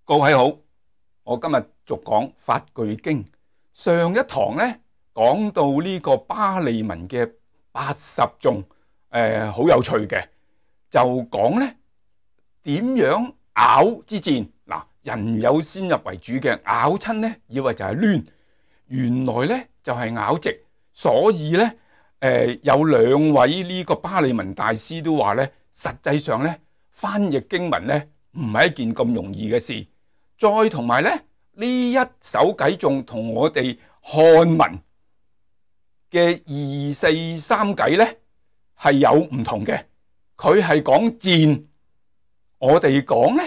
各位好，我今日續講法句經。上一堂呢講到呢個巴利文嘅80頌，好有趣嘅，就講呢點樣咬之戰。嗱，人有先入為主嘅，咬親呢以為就係攣，原來呢就係咬直，所以呢有兩位呢個巴利文大師都話呢，實際上呢翻譯經文呢唔係一件咁容易嘅事。再同埋呢一首偈頌同我哋漢文嘅243偈呢係有唔同嘅，佢係講戰，我哋講呢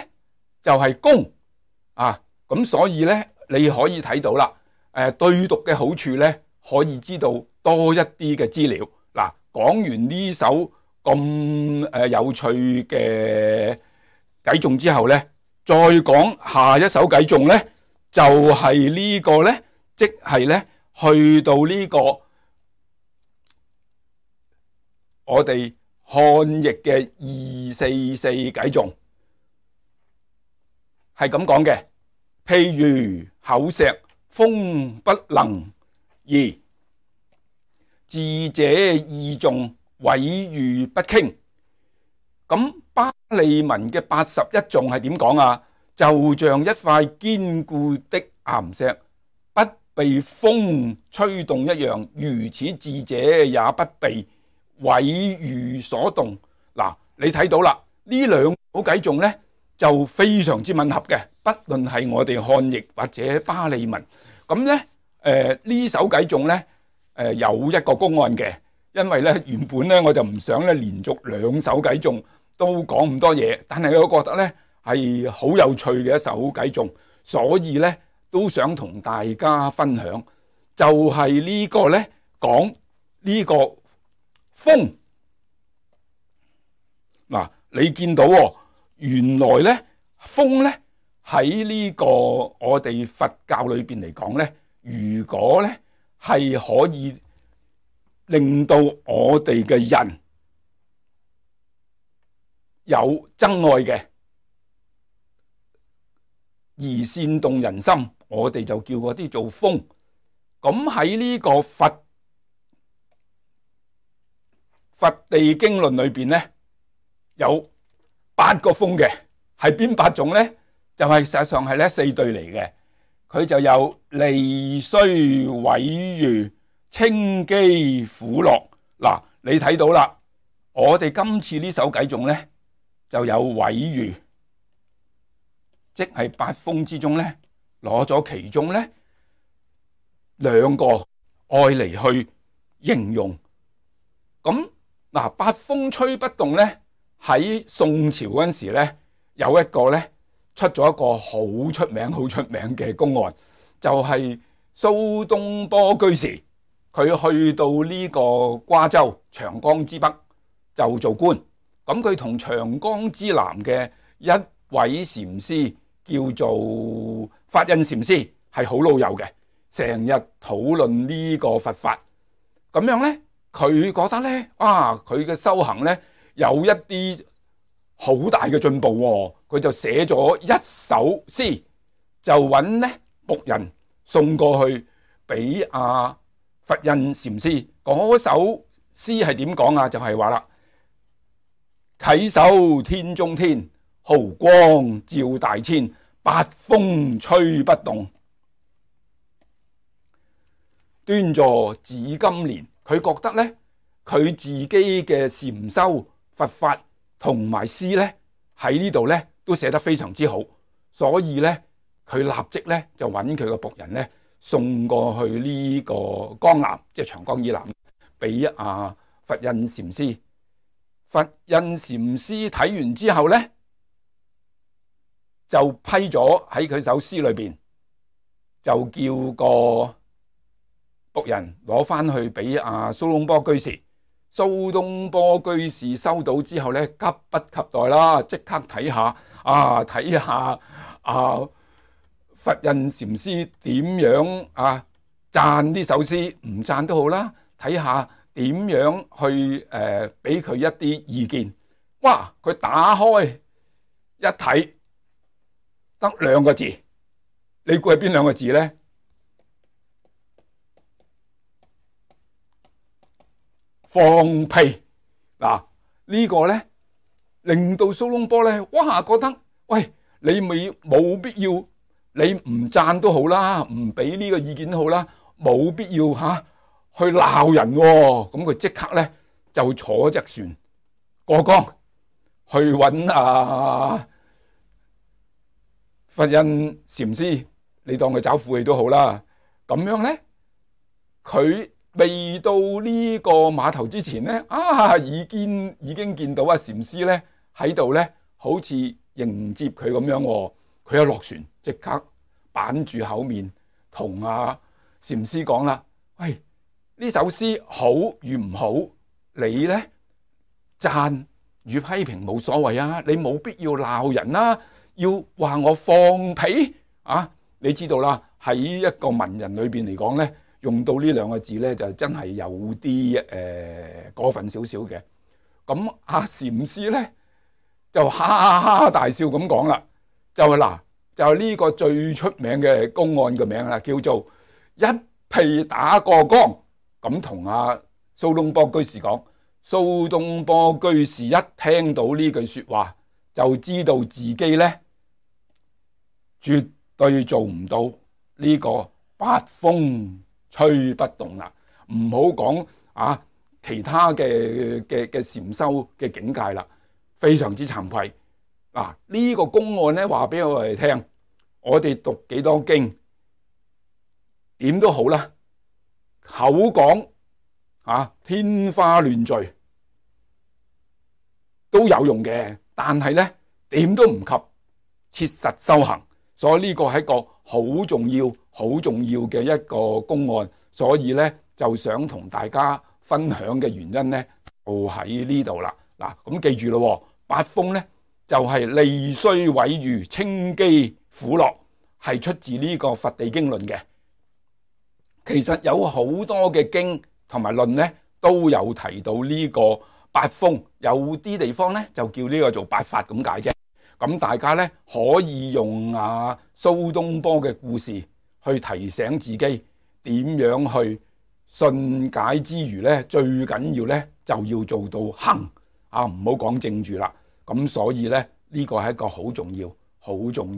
就係攻啊，咁所以呢你可以睇到啦，對讀嘅好處呢可以知道多一啲嘅資料。嗱，講完呢首咁有趣嘅偈頌之後呢，再講下一首偈頌呢，就係呢個呢，即係呢去到呢個我哋漢譯嘅244偈頌，係咁講嘅。譬如厚石，風不能移，智者意重，毀譽不傾。咁巴利文嘅81頌係點講啊？就像一塊堅固的岩石，不被風吹動一樣，如此智者也不被毀譽所動。嗱，你睇到啦，呢兩首偈頌呢就非常之吻合嘅，不論係我哋漢譯或者巴利文。咁呢呢首偈頌呢有一個公案嘅，因為呢原本呢我就唔想呢連續兩首偈頌都講咁多嘢，但係我覺得呢係好有趣嘅一首偈頌，所以呢都想同大家分享。就係呢個呢講呢個風。嗱，你見到原來呢風呢喺呢個我哋佛教裏邊嚟講呢，如果呢係可以令到我哋嘅人有憎愛嘅，而煽動人心，我哋就叫嗰啲做風。咁喺呢個佛地經論裏邊呢，有8個風嘅，係邊8種呢？就係實際上係呢4對嚟嘅，佢就有利衰毀譽、稱譏苦樂。嗱，你睇到啦，我哋今次呢首偈頌呢就有毀譽，即係8風之中呢攞咗其中呢2個愛嚟去形容。咁嗱，8風吹不動呢，喺宋朝嗰陣時呢有一個呢出咗一個好出名嘅公案，就係蘇東坡居士，佢去到呢個瓜州長江之北就做官。咁佢同長江之南嘅一位禪師叫做法印禪師係好老友嘅，成日討論呢個佛法。咁樣呢，佢覺得呢，佢嘅修行呢有一啲好大嘅進步，佢就寫咗一首詩，就揾呢僕人送過去俾佛印禪師。嗰首詩係點講啊？就係話啦，稽首天中天，毫光照大千，8風吹不動，端坐紫金蓮。佢覺得呢，佢自己嘅禪修佛法同埋詩呢喺呢度呢都寫得非常之好，所以呢佢立即呢就揾佢個僕人呢送過去呢個江南，即係長江以南，俾佛印禪師。佛印禪師睇完之後呢，就批咗喺佢首詩裏邊，就叫個僕人攞翻去俾蘇東坡居士。蘇東坡居士收到之後呢，急不及待啦，即刻睇下佛印禪師點樣讚呢首詩，唔讚都好啦，睇下點樣去俾佢一啲意見。哇！佢打開一睇，得兩個字，你估係邊兩個字咧？放屁。嗱，呢個咧令到蘇東坡咧，哇，覺得喂，你咪冇必要，你唔讚都好啦，唔俾呢個意見都好啦，冇必要去鬧人喎。咁佢即刻咧就坐隻船過江去揾佛印禪師，你當佢找晦氣都好啦。咁樣咧，佢未到呢個碼頭之前咧，已經見到禪師咧喺度咧，好似迎接佢咁樣。佢一落船，即刻板住口面同禪師講啦：喂，呢首詩好與唔好，你咧讚與批評冇所謂啊，你冇必要鬧人啦，要話我放屁啊！你知道啦，喺一個文人裏邊嚟講咧，用到呢兩個字咧，就真係有啲過分少少嘅。咁禪師咧就哈哈大笑咁講啦，就係呢個最出名嘅公案嘅名啦，叫做一屁打過江。咁同蘇東坡居士講，蘇東坡居士一聽到呢句說話，就知道自己咧絕對做唔到呢個八風吹不動啦。唔好講其他嘅禪修嘅境界啦，非常之慚愧。呢個公案咧，話俾我哋聽，我哋讀幾多經點都好啦，口講天花亂墜都有用嘅，但係咧點都唔及切實修行。所以呢個係一個好重要嘅一個公案，所以咧就想同大家分享嘅原因咧就喺呢度啦。咁記住咯，八風咧就係利衰毀譽稱譏苦樂，係出自呢個《佛地經論》嘅。其實有好多嘅經同埋論咧都有提到呢個八風，有啲地方咧就叫呢個做八法咁解啫。咁大家咧可以用蘇東坡嘅故事去提醒自己點樣去信解之餘咧，最緊要咧就要做到行唔好講正住啦。咁所以咧呢個係一個好重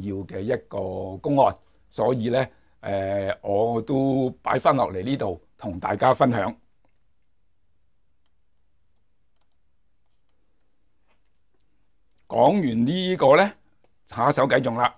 要嘅一個公案，所以咧我都擺翻落嚟呢度同大家分享。講完呢個咧，下一首偈仲啦。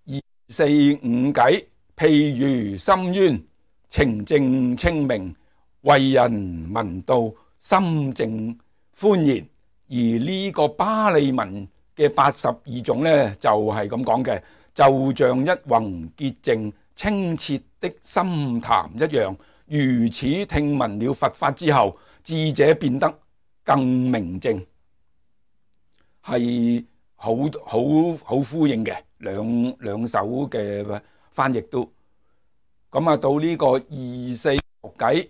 二四五偈，譬如深淵，澄淨清明，為人聞到心靜歡然。而呢個巴利文嘅82種咧，就係咁講嘅，就像一泓潔淨清澈的深潭一樣。如此聽聞了佛法之後，智者變得更明淨。係好呼應嘅，兩首嘅翻譯都咁到呢個二四六偈，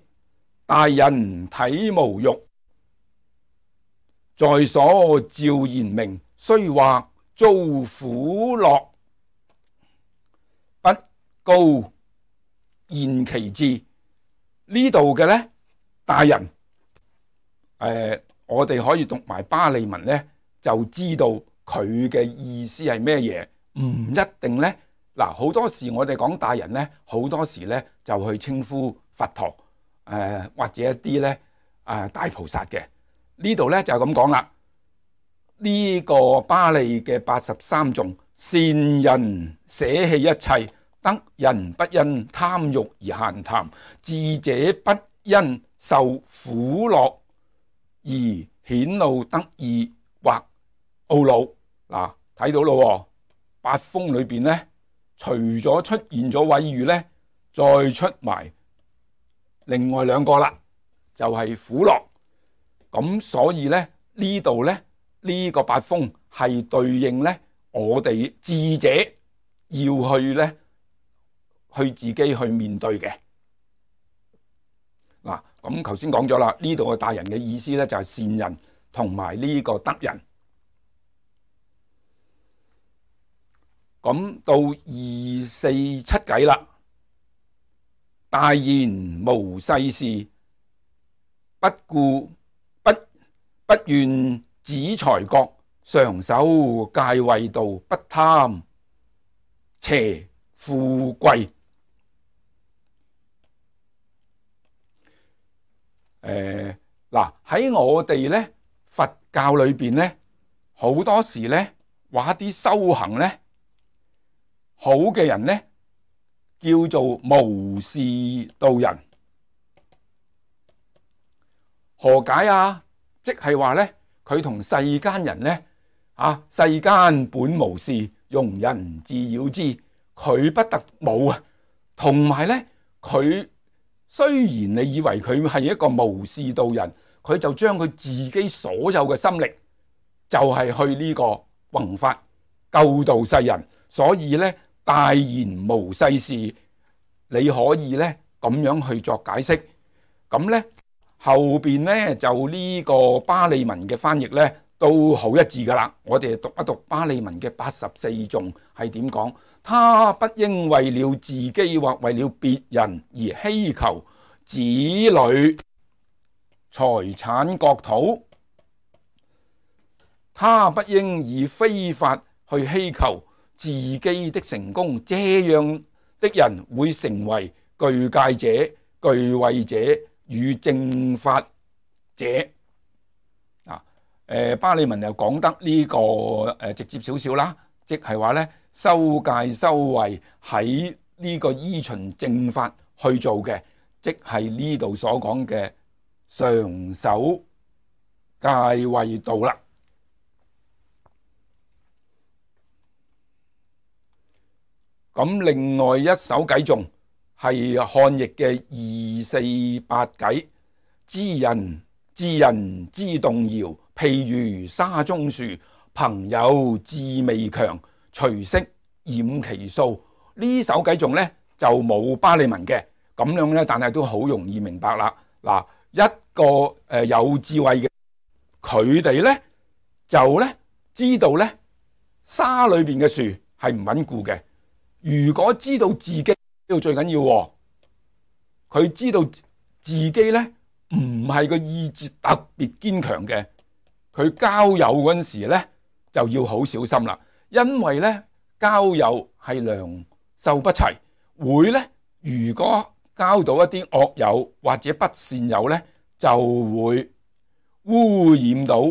大人體無欲，在所照然明，雖或遭苦樂，不告言其志。呢度嘅咧，大人我哋可以讀埋巴利文咧，就知道佢嘅意思係咩嘢。唔一定咧，好多時我哋講大人咧，好多時咧就去稱呼佛陀或者一啲咧大菩薩嘅。呢度咧就咁講啦。呢個巴利嘅83頌，善人捨棄一切，得人不因貪欲而閒談，智者不因受苦樂而顯露得意或懊惱。睇到咯，八風裏邊咧，除咗出現咗毀譽咧，再出埋另外兩個啦，就係苦樂。咁所以咧，呢度咧，呢個八風係對應咧我哋智者要去咧去自己去面對嘅。咁頭先講咗啦，呢度嘅大人嘅意思咧就係善人同埋呢個德人。咁到247偈啦，大言無世事，不顧不願子財國，常守戒慧道，不貪邪富貴。嗱，喺我哋咧佛教裏邊咧，好多時咧話啲修行咧好嘅人咧叫做無事度人。何解啊？即係話咧，佢同世間人咧世間本無事，庸人自擾之。佢不得冇啊，同埋咧佢雖然你以為佢係一個無事度人，佢就將佢自己所有嘅心力就係去呢個弘法救度世人。所以咧大言無世事，你可以咧咁樣去作解釋。咁咧後邊咧就呢個巴利文嘅翻譯咧都好一致噶啦。我哋讀一讀巴利文嘅84頌係點講。他不應為了自己或為了別人而希求子女財產國土，他不應以非法去希求自己的成功，這樣的人會成為具戒者、具慧者與正法者。巴利文又講得呢個直接少少啦，即係話咧修戒修慧喺呢個依循正法去做嘅，即係呢度所講嘅常守戒慧道啦。咁另外一首偈頌係漢譯嘅248偈，知人之動搖，譬如沙中樹，朋友志未強，隨息掩其數。呢首偈頌咧就冇巴利文嘅，咁樣咧，但係都好容易明白啦。嗱，一個有智慧嘅佢哋咧就咧知道咧沙裏邊嘅樹係唔穩固嘅。如果知道自己呢度最緊要，佢知道自己咧唔係個意志特別堅強嘅，佢交友嗰陣時咧就要好小心啦。因為咧交友係良莠不齊，會咧如果交到一啲惡友或者不善友咧，就會污染到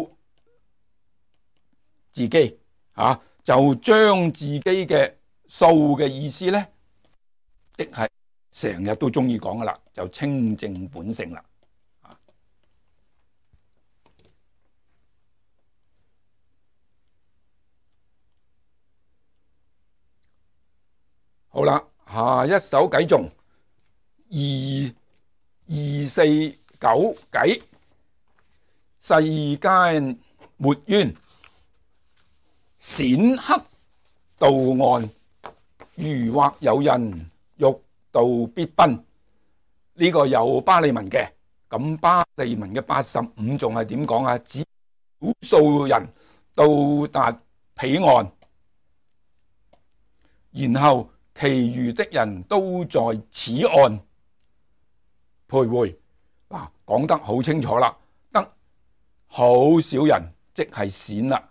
自己就將自己嘅數嘅意思咧，亦係成日都中意講噶啦，就清淨本性啦。好啦，下一首偈頌249偈，世間沒冤，鮮刻道岸，如或有人欲度必奔。呢個有巴利文嘅，咁巴利文嘅85頌係點講啊？只少數人到達彼岸，然後其餘的人都在此岸徘徊。嗱，講得好清楚啦，得好少人即係鮮啦。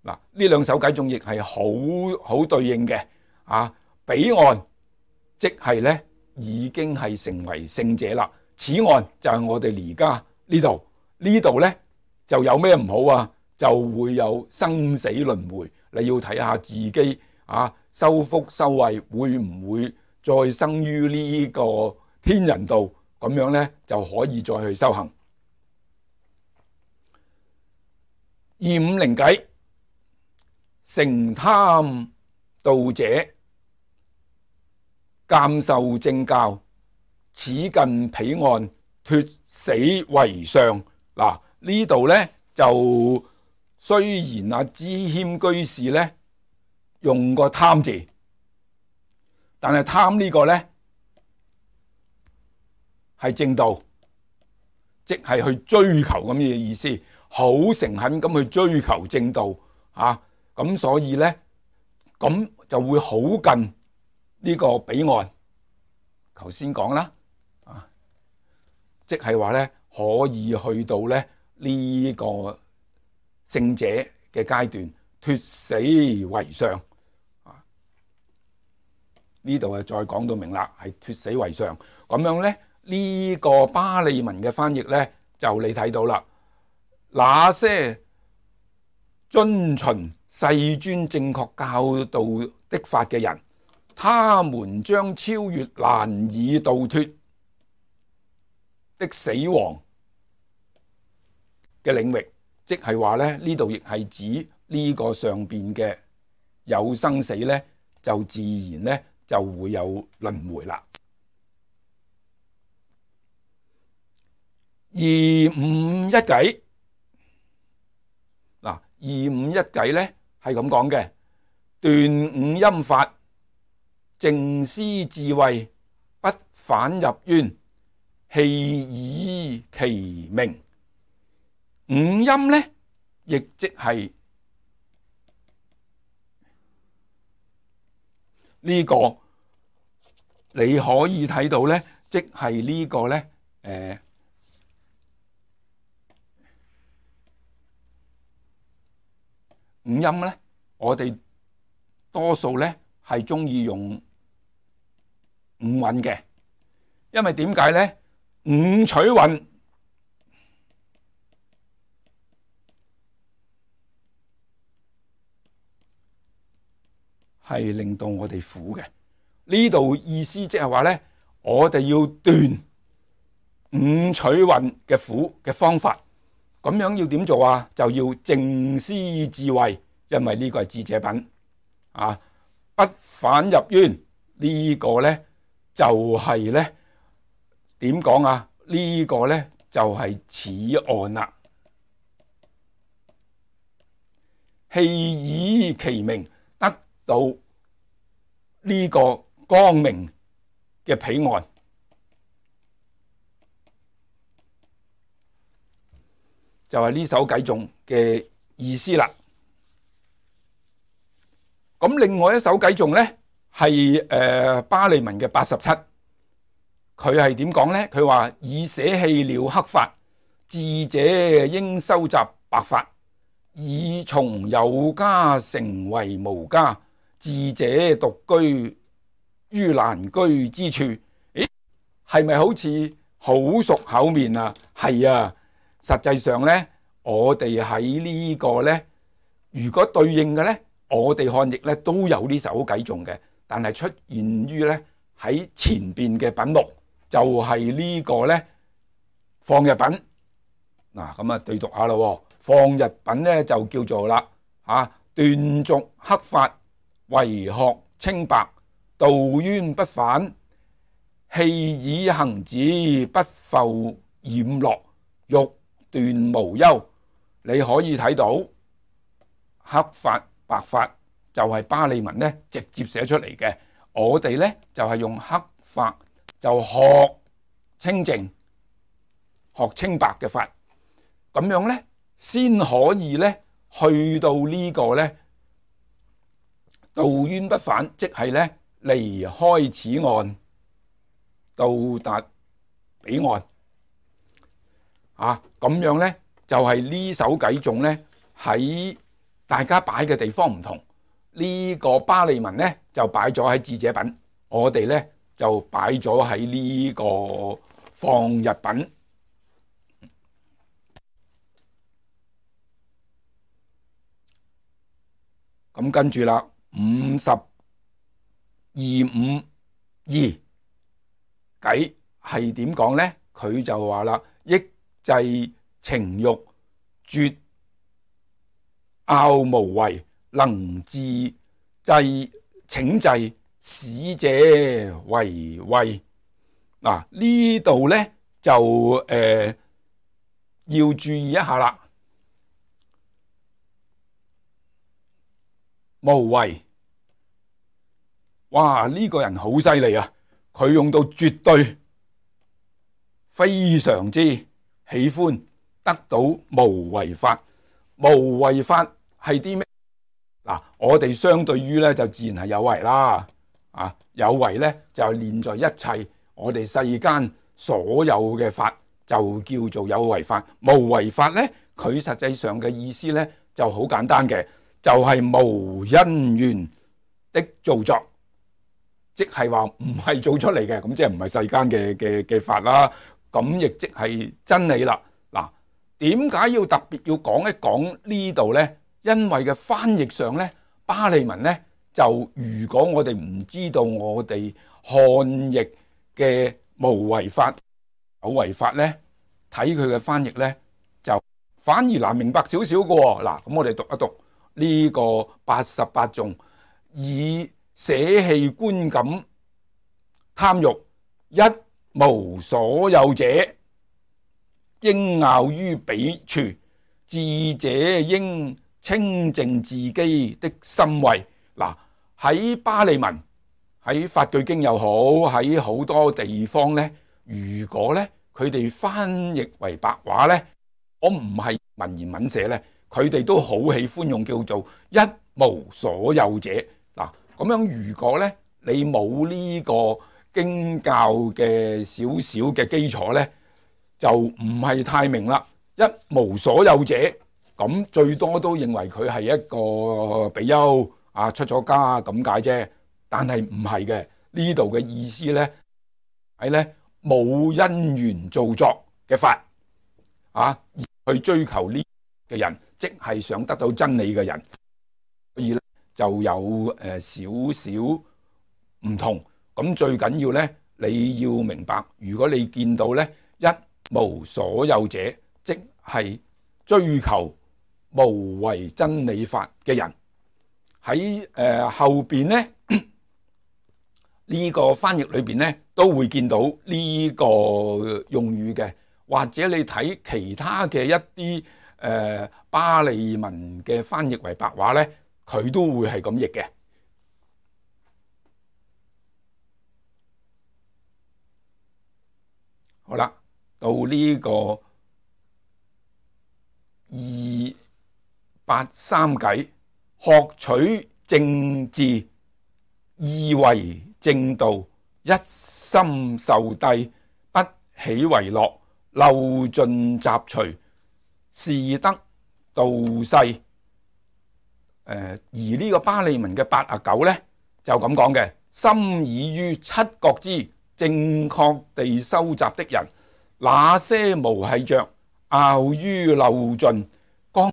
嗱，呢兩首偈頌亦係好對應嘅。彼岸即係咧已經係成為聖者啦，此岸就係我哋而家呢度，呢度咧就有咩唔好啊？就會有生死輪迴。你要睇下自己修福修慧會唔會再生於呢個天人道，咁樣咧就可以再去修行。250偈，成貪道者鑒受正教，此近彼岸，脫死為上。嗱，呢度咧就雖然知謙居士咧用個貪字，但係貪呢個咧係正道，即係去追求咁嘅意思，好誠懇咁去追求正道咁所以咧咁就會好近呢個彼岸。頭先講啦，即係話咧可以去到咧呢個聖者嘅階段，脫死為上。呢度再講到明啦，係脫死為上。咁樣咧呢個巴利文嘅翻譯咧就你睇到啦，那些遵循世尊正確教導的法嘅人，他們將超越難以度脫的死亡嘅領域，即係話咧呢度亦係指呢個上邊嘅有生死咧，就自然咧就會有輪迴啦。二五一偈嗱，二五一偈咧係咁講嘅：斷五陰法，淨施智慧，不返入淵，棄以其名。五陰咧，亦即係呢個，你可以睇到咧，即係呢個咧，五音咧，我哋多數咧係中意用五韻嘅，因為點解咧？五取韻係令到我哋苦嘅。呢度意思即係話咧，我哋要斷五取韻嘅苦嘅方法。咁樣要點做啊？就要淨施智慧，因為呢個係智者品啊。不返入淵，呢個咧就係咧點講啊？呢個咧就係此岸啦。棄以其名，得到呢個光明嘅彼岸。就係呢首偈頌嘅意思啦。咁另外一首偈頌咧係巴利文嘅87，佢係點講咧？佢話已捨棄了黑法，智者應收集白法，以從有家成為無家，智者獨居於難居之處。咦，係咪好似好熟口面啊？係啊。實際上咧，我哋喺呢個咧，如果對應嘅咧，我哋漢譯咧都有呢首偈頌嘅，但係出現於咧喺前邊嘅品目，就係呢個咧放日品。嗱，咁啊對讀下咯。放日品咧就叫做啦斷續黑法，為學清白，度淵不返，棄以行止，不復染落，欲斷無憂。你可以睇到黑法白法就係巴利文咧直接寫出嚟嘅，我哋咧就係用黑法就學清淨學清白嘅法，咁樣咧先可以咧去到呢個咧度淵不返，即係咧離開此岸到達彼岸。咁樣咧就係呢首偈頌咧喺大家擺嘅地方唔同，呢個巴利文咧就擺咗喺智者品，我哋咧就擺咗喺呢個放日品。咁跟住啦，5252偈係點講咧？佢就話啦，抑制情欲，絕拗無為，能自制請制，使者為慧。嗱，呢度咧就要注意一下啦。無為，哇！呢個人好犀利啊！佢用到絕對，非常之喜歡得到無為法。無為法係啲咩？嗱，我哋相對於咧就自然係有為啦，有為咧就係連在一切我哋世間所有嘅法就叫做有為法。無為法咧，佢實際上嘅意思咧就好簡單嘅，就係無因緣的造作，即係話唔係做出嚟嘅，咁即係唔係世間嘅法啦。咁亦即係真理啦。嗱，點解要特別要講一講呢度咧？因為嘅翻譯上咧，巴利文咧就如果我哋唔知道我哋漢譯嘅無為法、有為法咧，睇佢嘅翻譯咧就反而難明白少少嘅喎。嗱，咁我哋讀一讀呢個88頌，以捨棄觀感貪欲，一無所有者，應樂於彼處，智者應清淨自己的心慧。嗱，喺巴利文、喺法句經又好，喺好多地方咧，如果咧佢哋翻譯為白話咧，我唔係文言文寫咧，佢哋都好喜歡用叫做一無所有者。嗱，咁樣如果咧你冇呢個經教嘅少少嘅基礎咧，就唔係太明啦。一無所有者，咁最多都認為佢係一個比丘出咗家咁解啫，但係唔係嘅。呢度嘅意思咧係咧冇因緣造作嘅法而去追求呢嘅人，即係想得到真理嘅人，所以咧就有少少唔同。咁最緊要咧，你要明白，如果你見到咧一無所有者，即係追求無為真理法嘅人。喺後邊咧呢個翻譯裏邊咧都會見到呢個用語嘅，或者你睇其他嘅一啲巴利文嘅翻譯為白話咧，佢都會係咁譯嘅。好啦，到呢個283偈，學取正智，意為正道，一心受諦，不喜為樂，漏盡雜隨，是得道世。而呢個巴利文嘅89咧就咁講嘅，心已於七覺支正確地收集的人，那些無繫着，拗於漏盡，剛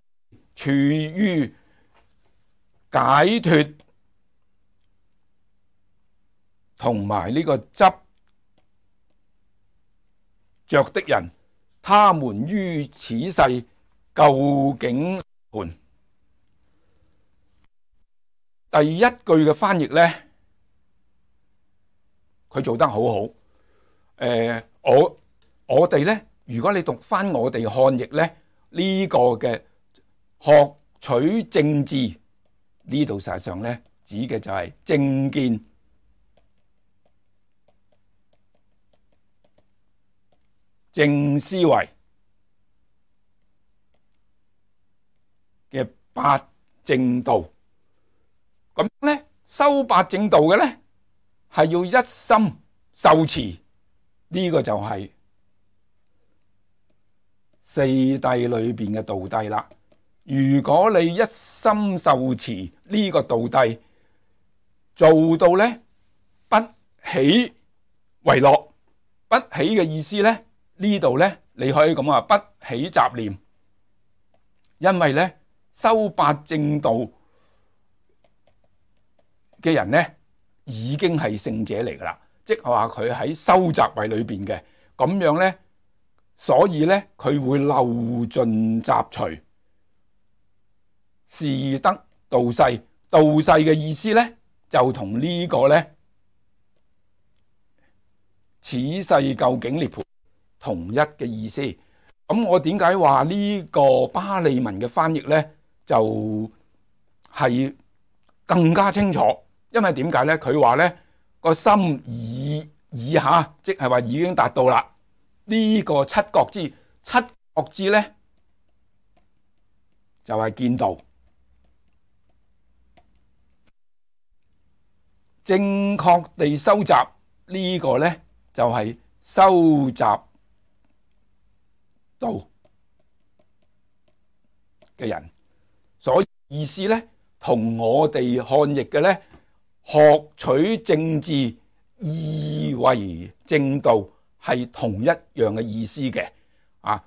處於解脫同埋呢個執着的人，他們於此世究竟盤。第一句嘅翻譯咧，佢做得好好。我哋咧，如果你讀翻我哋漢譯咧，呢個嘅學取正智，呢度實際上咧指嘅就係正見、正思維嘅八正道。咁咧修八正道嘅咧係要一心受持，呢個就係四諦裏邊嘅道諦啦。如果你一心受持呢個道諦，做到咧不喜為樂，不喜嘅意思咧，呢度咧你可以咁話，不起雜念。因為咧修八正道嘅人咧已經係聖者嚟噶啦，即係話佢喺修習位裏邊嘅，咁樣咧，所以咧佢會漏盡雜隨，是得道世。道世嘅意思咧就同呢個咧此世究竟涅槃同一嘅意思。咁我點解話呢個巴利文嘅翻譯咧就係更加清楚？因為點解咧？佢話咧個心已下，即係話已經達到啦。呢個七覺支，七覺支咧就係見道。正確地收集呢個呢，就係收集到嘅人，所以意思呢，同我哋漢譯嘅呢，學取政治，以為正道係同一樣嘅意思嘅。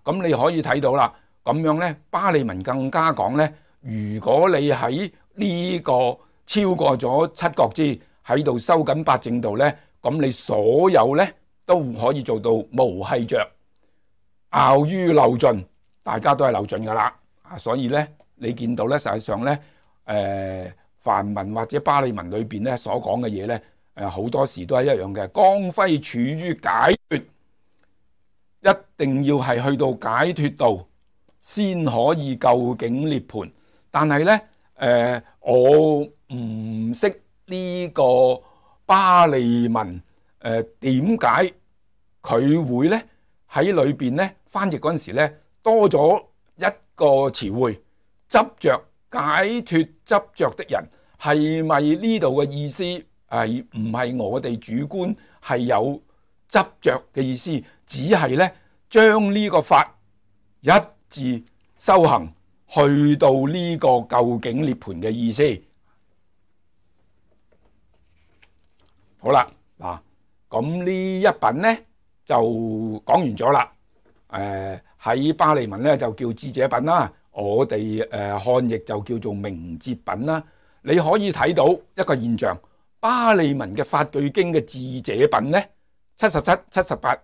咁你可以睇到啦，咁樣呢，巴利文更加講呢，如果你喺呢個超過咗七國支喺度收緊八正道呢，咁你所有呢都可以做到無繫着，拗於漏盡，大家都係漏盡噶啦。所以呢，你見到呢，實際上呢，梵文或者巴利文裏邊呢所講嘅嘢呢，好多時都係一樣嘅。光輝處於解脫，一定要係去到解脫道先可以究竟涅槃。但係呢，我唔識呢個巴利文，點解佢會呢喺裏邊呢翻譯嗰陣時呢多咗一個詞彙，執着解脫執着的人，係咪呢度嘅意思係唔係我哋主觀係有執着嘅意思？只係呢將呢個法一致修行，去到呢個究竟涅槃嘅意思。好啦，嗱，咁呢一品呢就講完咗啦。喺巴利文呢就叫智者品啦，我哋漢譯就叫做明哲品啦。你可以睇到一個現象，巴利文嘅法句經嘅智者品呢，77、78、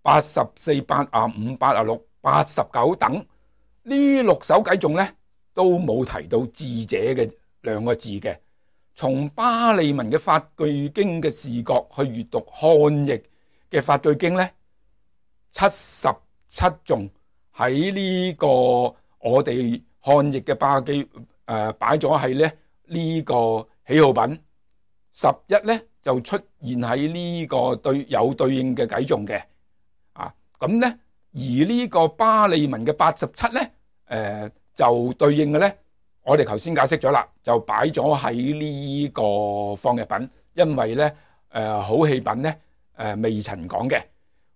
84、85、86、89等呢6首偈頌呢都冇提到智者嘅兩個字嘅。從巴利文嘅法句經嘅視角去閱讀漢譯嘅法句經呢，77頌喺呢個我哋漢譯嘅巴記擺咗喺呢個喜好品，11呢就出現喺呢個有對應嘅偈頌嘅。咁呢，而呢個巴利文嘅87呢，就對應嘅呢，我哋頭先解釋咗啦，就擺咗喺呢個放逸品，因為呢好氣品呢未曾講嘅。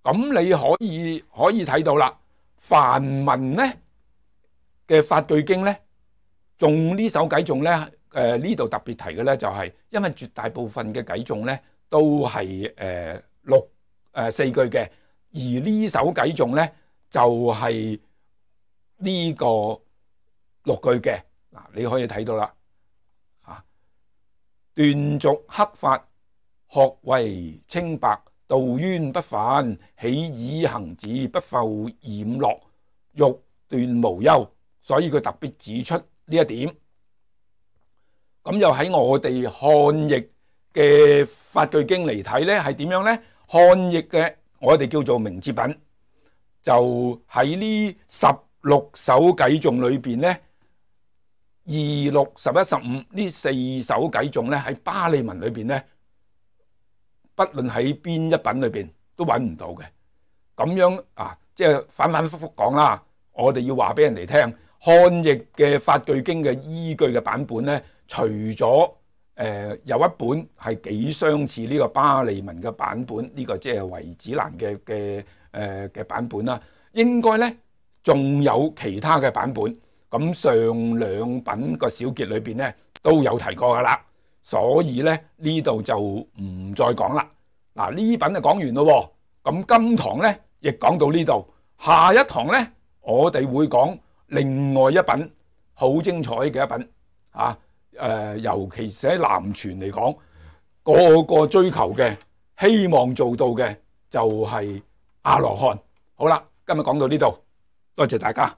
咁你可以睇到啦，梵文呢嘅法句經呢，中呢首偈頌呢，呢度特別提嘅呢，就係因為絕大部分嘅偈頌呢都係4句嘅，而呢首偈頌呢就係呢個6句嘅。嗱，你可以睇到啦，斷續克法，學為清白，道淵不犯，喜以行止，不復染樂，欲斷無憂。所以佢特別指出呢一點。咁又喺我哋漢譯嘅法句經嚟睇呢，係點樣呢？漢譯嘅我哋叫做明哲品，就喺呢16首偈頌裏邊呢，2、6、11、15呢4首偈頌呢，喺巴利文裏邊呢，不論喺邊一品裏邊都揾唔到嘅。咁樣即係反反复复講啦。我哋要話俾人哋聽，漢譯嘅法句經嘅依據嘅版本呢，除咗有一本係幾相似呢個巴利文嘅版本，呢個即係維子蘭嘅版本啦，應該呢仲有其他嘅版本。咁上2品個小結裏邊呢都有提過噶啦，所以呢呢度就唔再講啦。嗱，呢品就講完咯。咁今堂呢亦講到呢度，下一堂呢我哋會講另外一品好精彩嘅一品尤其是喺南傳嚟講，個個追求嘅希望做到嘅就係阿羅漢。好啦，今日講到呢度，多謝大家。